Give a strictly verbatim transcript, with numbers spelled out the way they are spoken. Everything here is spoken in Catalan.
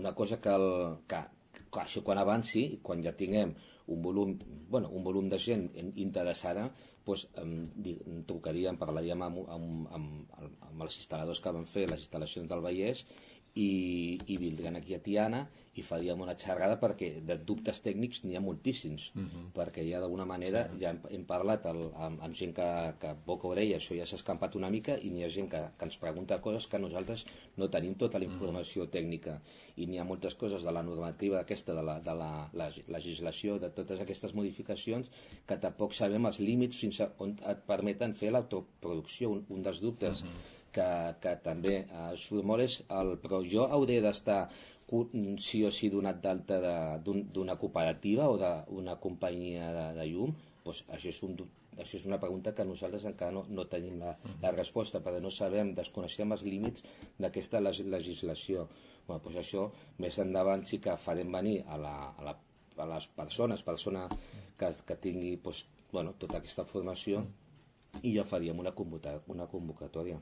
una cosa que, el, que, que això quan avanci, quan ja tinguem un volum, bueno, un volum de gent interessada, doncs, em trucaríem, parlaríem amb, amb, amb, amb els instal·ladors que van fer les instal·lacions del Vallès i, i vindrien aquí a Tiana i faríem una xerrada, perquè de dubtes tècnics n'hi ha moltíssims, uh -huh. perquè ja d'alguna manera sí. ja hem, hem parlat el, amb, amb gent que, que boca orella, això ja s'ha escampat una mica, i n'hi ha gent que, que ens pregunta coses que nosaltres no tenim tota la informació uh -huh. tècnica, i n'hi ha moltes coses de la normativa aquesta, de la, de la, la legislació, de totes aquestes modificacions, que tampoc sabem els límits fins a on et permeten fer l'autoproducció. Un, un dels dubtes uh -huh. que, que també eh, surt molt és el, però jo hauré d'estar sí o sí donat d'alta d'una cooperativa o d'una companyia de, de llum, doncs això és, un, això és una pregunta que nosaltres encara no, no tenim la, la resposta, perquè no sabem, desconeixem els límits d'aquesta legislació. Bueno, doncs això més endavant sí que farem venir a, la, a, la, a les persones, persona que, que tingui doncs, bueno, tota aquesta formació, i ja faríem una, convoca, una convocatòria.